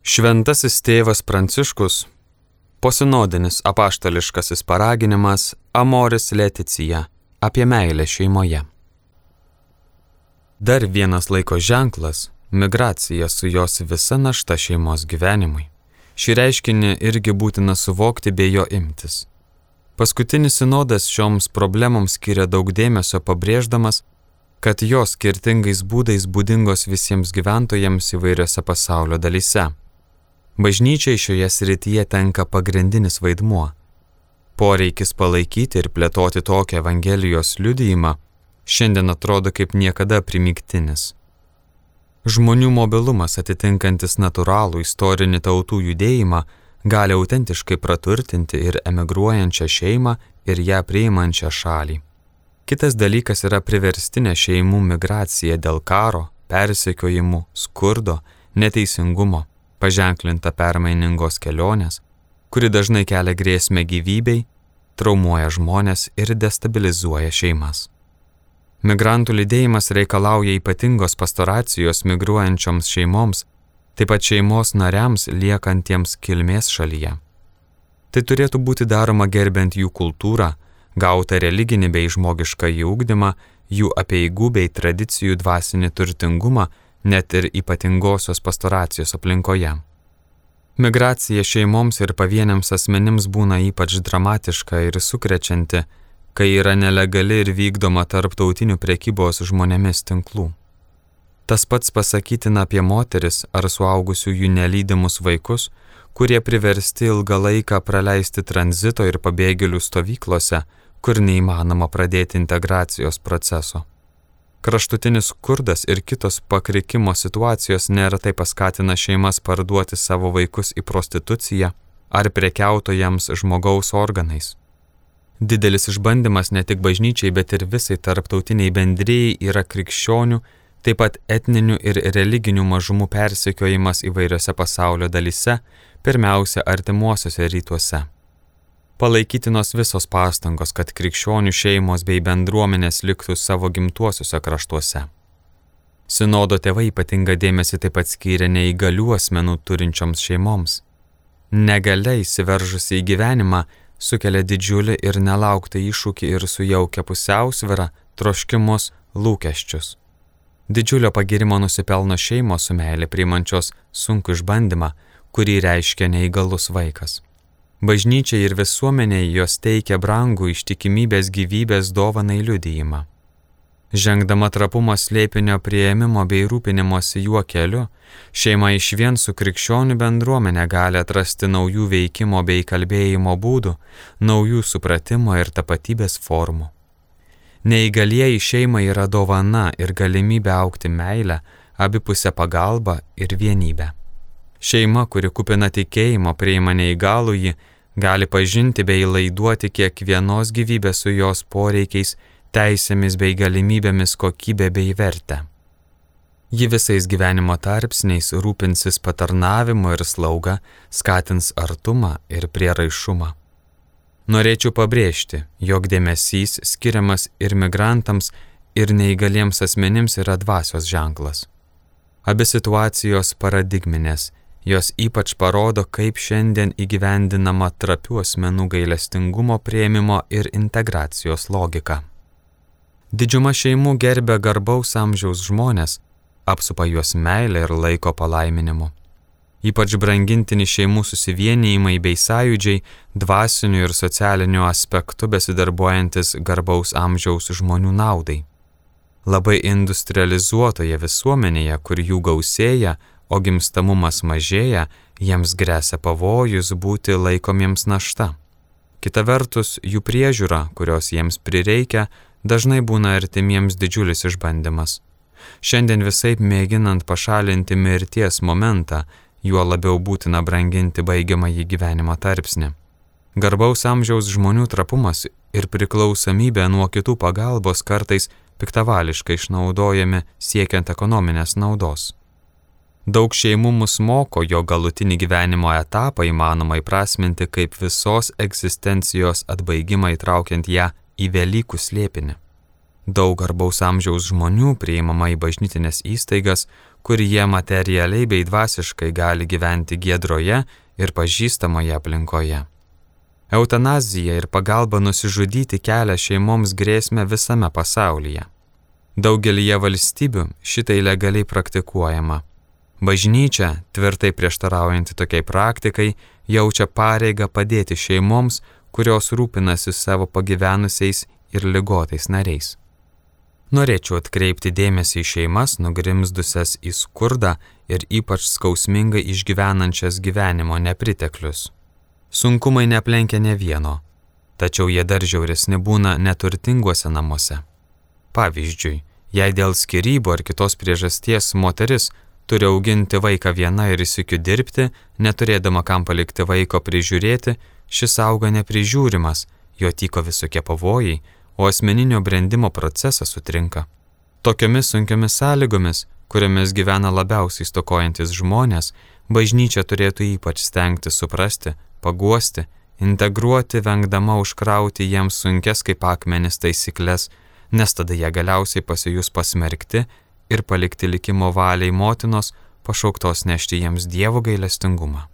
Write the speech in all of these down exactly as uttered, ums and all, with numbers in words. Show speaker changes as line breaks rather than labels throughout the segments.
Šventasis tėvas Pranciškus, posinodinis apaštališkasis paraginimas Amoris Laetitia apie meilę šeimoje. Dar vienas laiko ženklas – migracija su jos visa našta šeimos gyvenimui. Šį reiškinį irgi būtina suvokti bei jo imtis. Paskutinis sinodas šioms problemoms skiria daug dėmesio, pabrėždamas, kad jos skirtingais būdais būdingos visiems gyventojams įvairiose pasaulio dalyse. Bažnyčiai šioje srityje tenka pagrindinis vaidmuo. Poreikis palaikyti ir plėtoti tokią Evangelijos liudijimą šiandien atrodo kaip niekada primygtinis. Žmonių mobilumas atitinkantis natūralų istorinį tautų judėjimą gali autentiškai praturtinti ir emigruojančią šeimą ir ją priimančią šalį. Kitas dalykas yra priverstinė šeimų migracija dėl karo, persekiojimų, skurdo, neteisingumo, paženklinta permainingos kelionės, kuri dažnai kelia grėsmę gyvybei, traumuoja žmones ir destabilizuoja šeimas. Migrantų lydėjimas reikalauja ypatingos pastoracijos migruojančioms šeimoms, taip pat šeimos nariams liekantiems kilmės šalyje. Tai turėtų būti daroma gerbent jų kultūrą, gautą religinį bei žmogiškąjį ugdymą, jų apeigų bei tradicijų dvasinį turtingumą, net ir ypatingosios pastoracijos aplinkoje. Migracija šeimoms ir pavieniams asmenims būna ypač dramatiška ir sukrečianti, kai yra nelegali ir vykdoma tarptautinių prekybos žmonėmis tinklų. Tas pats pasakytina apie moteris ar suaugusiųjų nelydimus vaikus, kurie priversti ilgą laiką praleisti tranzito ir pabėgėlių stovyklose, kur neįmanoma pradėti integracijos proceso. Kraštutinis skurdas ir kitos pakrikimo situacijos neretai paskatina šeimas parduoti savo vaikus į prostituciją ar prekiautojams žmogaus organais. Didelis išbandymas ne tik bažnyčiai, bet ir visai tarptautiniai bendrijai yra krikščionių, taip pat etninių ir religinių mažumų persekiojimas įvairiose pasaulio dalyse, pirmiausia artimuosiuose rytuose. Palaikytinos visos pastangos, kad krikščionių šeimos bei bendruomenės liktų savo gimtuosiuose kraštuose. Sinodo tėvai ypatingą dėmesį taip pat skyrė neįgalių asmenų turinčioms šeimoms. Negalia įsiveržusi į gyvenimą sukelia didžiulį ir nelauktą iššūkį ir sujaukia pusiausvyrą, troškimus, lūkesčius. Didžiulio pagirimo nusipelno šeimos su meilė priimančios sunkų išbandymą, kurį reiškia neįgalus vaikas. Bažnyčiai ir visuomeniai jos teikia brangų ištikimybės gyvybės dovanai liudijimą. Žengdama trapumo slėpinio priėmimo bei rūpinimosi juo keliu, šeima išvien su krikščionių bendruomenė gali atrasti naujų veikimo bei kalbėjimo būdų, naujų supratimo ir tapatybės formų. Neįgalieji šeimai yra dovana ir galimybė augti meilę, abipusę pagalbą ir vienybę. Šeima, kuri kupina tikėjimo priima neįgalųjį, gali pažinti bei laiduoti kiekvienos gyvybės su jos poreikiais, teisėmis bei galimybėmis kokybę bei vertę. Ji visais gyvenimo tarpsniais rūpinsis patarnavimu ir slauga, skatins artumą ir prieraišumą. Norėčiau pabrėžti, jog dėmesys skiriamas ir migrantams, ir neįgaliems asmenims yra dvasios ženklas. Abi situacijos paradigminės, jos ypač parodo, kaip šiandien įgyvendinama trapių asmenų gailestingumo priėmimo ir integracijos logika. Didžiuma šeimų gerbia garbaus amžiaus žmonės, apsupa juos meilę ir laiko palaiminimu. Ypač brangintini šeimų susivienijimai bei sąjūdžiai dvasiniu ir socialiniu aspektu besidarbuojantis garbaus amžiaus žmonių naudai. Labai industrializuotoje visuomenėje, kur jų gausėja, o gimstamumas mažėja, jiems gresia pavojus būti laikomiems našta. Kita vertus, jų priežiūra, kurios jiems prireikia, dažnai būna artimiems didžiulis išbandymas. Šiandien visaip mėginant pašalinti mirties momentą, juo labiau būtina branginti baigiamąjį gyvenimo tarpsnį. Garbaus amžiaus žmonių trapumas ir priklausomybė nuo kitų pagalbos kartais piktavališkai išnaudojami siekiant ekonominės naudos. Daug šeimų mus moko, jo galutinį gyvenimo etapą įmanoma įprasminti kaip visos egzistencijos atbaigimą įtraukiant ją į Velykų slėpinį. Daug garbaus amžiaus žmonių priimama į bažnytinės įstaigas, kur jie materialiai bei dvasiškai gali gyventi giedroje ir pažįstamoje aplinkoje. Eutanazija ir pagalba nusižudyti kelia šeimoms grėsmę visame pasaulyje. Daugelyje valstybių šitai legaliai praktikuojama. Bažnyčia, tvirtai prieštaraujanti tokiai praktikai, jaučia pareigą padėti šeimoms, kurios rūpinasi savo pagyvenusiais ir ligotais nariais. Norėčiau atkreipti dėmesį į šeimas, nugrimzdusias į skurdą ir ypač skausmingai išgyvenančias gyvenimo nepriteklius. Sunkumai neaplenkia ne vieno, tačiau jie dar žiauresni būna neturtinguose namuose. Pavyzdžiui, jei dėl skyrybų ar kitos priežasties moteris turi auginti vaiką viena ir įsikiu dirbti, neturėdama kam palikti vaiko prižiūrėti, šis auga neprižiūrimas, jo tyko visokie pavojai, o asmeninio brendimo procesas sutrinka. Tokiomis sunkiomis sąlygomis, kuriamis gyvena labiausiai stokojantis žmonės, bažnyčia turėtų ypač stengti suprasti, paguosti, integruoti, vengdama užkrauti jiems sunkes kaip akmenis taisyklės, nes tada jie galiausiai pasijus pasmerkti ir palikti likimo valiai motinos, pašauktos nešti jiems Dievo gailestingumą.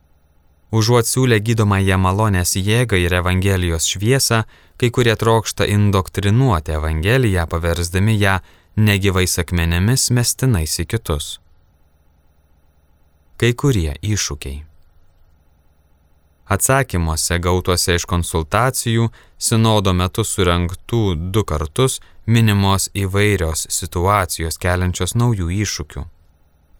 Užuot siūlę gydomąją malonės jėgą ir Evangelijos šviesą, kai kurie trokšta indoktrinuoti Evangeliją, paversdami ją negyvais akmenėmis mestinais į kitus. Kai kurie iššūkiai. Atsakymuose gautuose iš konsultacijų, sinodo metu surengtų du kartus minimos įvairios situacijos keliančios naujų iššūkių.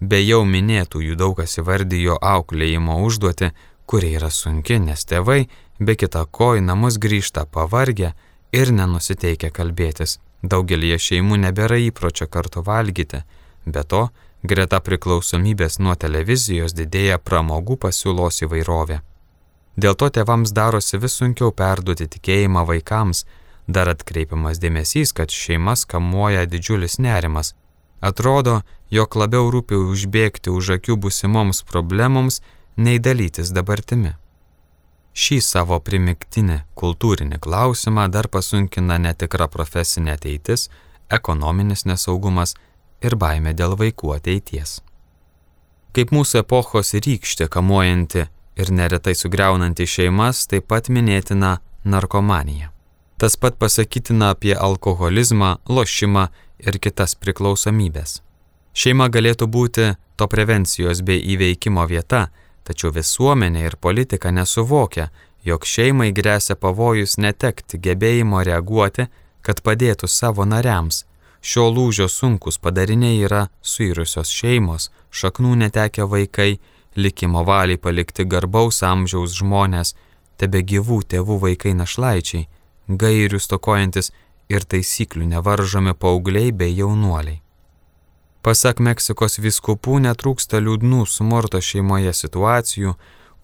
Be jau minėtųjų daug kas įvardijo auklėjimo užduotį, kuri yra sunki, nes tėvai be kita ko į namus grįžta pavargę ir nenusiteikę kalbėtis. Daugelį šeimų nebėra įpročio kartu valgyti, be to, greta priklausomybės nuo televizijos didėja pramogų pasiūlos įvairovė. Dėl to tėvams darosi vis sunkiau perduoti tikėjimą vaikams, dar atkreipiamas dėmesys, kad šeimas kamuoja didžiulis nerimas. Atrodo, jog labiau rūpi užbėgti už akių būsimoms problemoms, nei dalytis dabartimi. Šį savo primiktinį kultūrinį klausimą dar pasunkina netikra profesinė ateitis, ekonominis nesaugumas ir baimė dėl vaikų ateities. Kaip mūsų epochos rykštė kamuojanti ir neretai sugriaunanti šeimas, taip pat minėtina narkomanija. Tas pat pasakytina apie alkoholizmą, lošimą ir kitas priklausomybės. Šeima galėtų būti to prevencijos bei įveikimo vieta, tačiau visuomenė ir politika nesuvokia, jog šeimai gresia pavojus netekti gebėjimo reaguoti, kad padėtų savo nariams. Šio lūžio sunkus padariniai yra suirusios šeimos, šaknų netekę vaikai, likimo valiai palikti garbaus amžiaus žmonės, tebe gyvų tėvų vaikai našlaičiai, gairių stokojantis ir taisyklių nevaržomi paaugliai bei jaunuoliai. Pasak Meksikos vyskupų netrūksta liūdnų smurto šeimoje situacijų,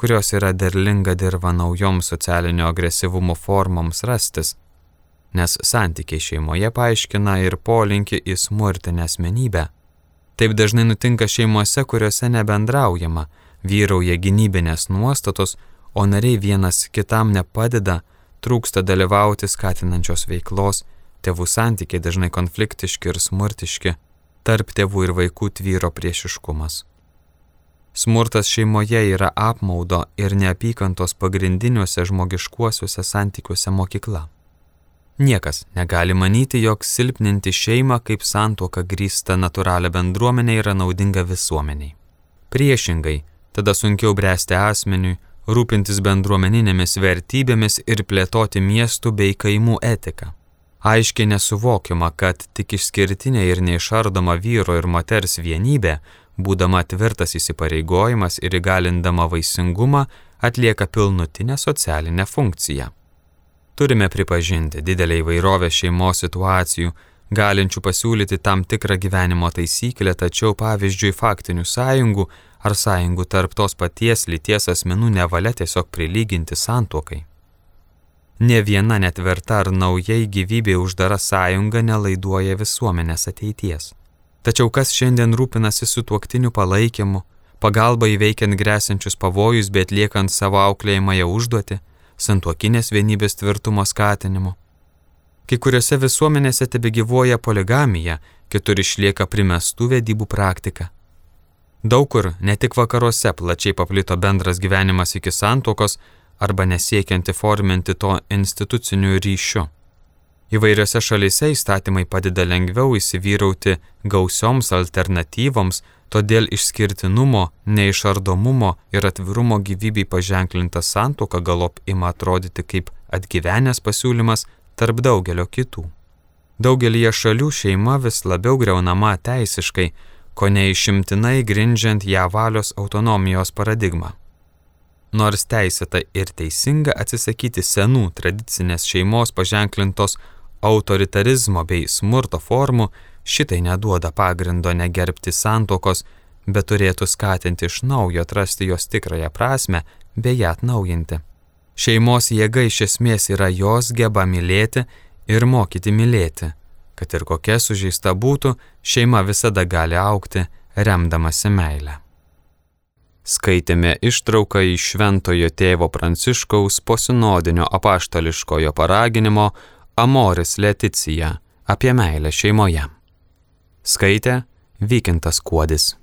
kurios yra derlinga dirva naujoms socialinio agresyvumo formoms rastis, nes santykiai šeimoje paaiškina ir polinkį į smurtinę asmenybę. Taip dažnai nutinka šeimose, kuriuose nebendraujama, vyrauja gynybinės nuostatos, o nariai vienas kitam nepadeda, trūksta dalyvauti skatinančios veiklos, tėvų santykiai dažnai konfliktiški ir smurtiški, tarp tėvų ir vaikų tvyro priešiškumas. Smurtas šeimoje yra apmaudo ir neapykantos pagrindiniuose žmogiškuosiuose santykiuose mokykla. Niekas negali manyti, jog silpninti šeimą kaip santuoką grįsta natūralią bendruomenę yra naudinga visuomeniai. Priešingai, tada sunkiau bręsti asmeniui, rūpintis bendruomeninėmis vertybėmis ir plėtoti miestų bei kaimų etiką. Aiškiai nesuvokiama, kad tik išskirtinė ir neišardoma vyro ir moters vienybė, būdama tvirtas įsipareigojimas ir įgalindama vaisingumą, atlieka pilnutinę socialinę funkciją. Turime pripažinti didelę įvairovę šeimos situacijų, galinčių pasiūlyti tam tikrą gyvenimo taisyklę, tačiau pavyzdžiui faktinių sąjungų ar sąjungų tarp tos paties lyties asmenų nevalia tiesiog prilyginti santuokai. Ne viena netverta ar naujai gyvybė uždara sąjunga nelaiduoja visuomenės ateities. Tačiau kas šiandien rūpinasi sutuoktinių palaikymu, pagalba įveikiant gresiančius pavojus, bei atliekant savo auklėjimąją užduotį, santuokinės vienybės tvirtumo skatinimu? Kai kuriuose visuomenėse tebegyvuoja poligamija, kitur išlieka primestų vedybų praktika. Daug kur, ne tik vakaruose, plačiai paplito bendras gyvenimas iki santuokos arba nesiekiant įforminti to instituciniu ryšiu. Įvairiose šalyse įstatymai padeda lengviau įsivyrauti gausioms alternatyvoms, todėl išskirtinumo, neišardomumo ir atvirumo gyvybei paženklinta santuoka galop ima atrodyti kaip atgyvenęs pasiūlymas tarp daugelio kitų. Daugelyje šalių šeima vis labiau griaunama teisiškai, ko neišimtinai grindžiant ją valios autonomijos paradigmą. Nors teisėta ir teisinga atsisakyti senų tradicinės šeimos paženklintos autoritarizmo bei smurto formų, šitai neduoda pagrindo negerbti santuokos, bet turėtų skatinti iš naujo atrasti jos tikrąją prasmę bei ją atnaujinti. Šeimos jėga iš esmės yra jos geba mylėti ir mokyti mylėti. Kad ir kokia sužeista būtų, šeima visada gali augti, remdamasi meilę. Skaitėme ištrauką iš Šventojo tėvo Pranciškaus posinodinio apaštališkojo paraginimo Amoris Laetitia apie meilę šeimoje. Skaitė Vykintas Kuodis.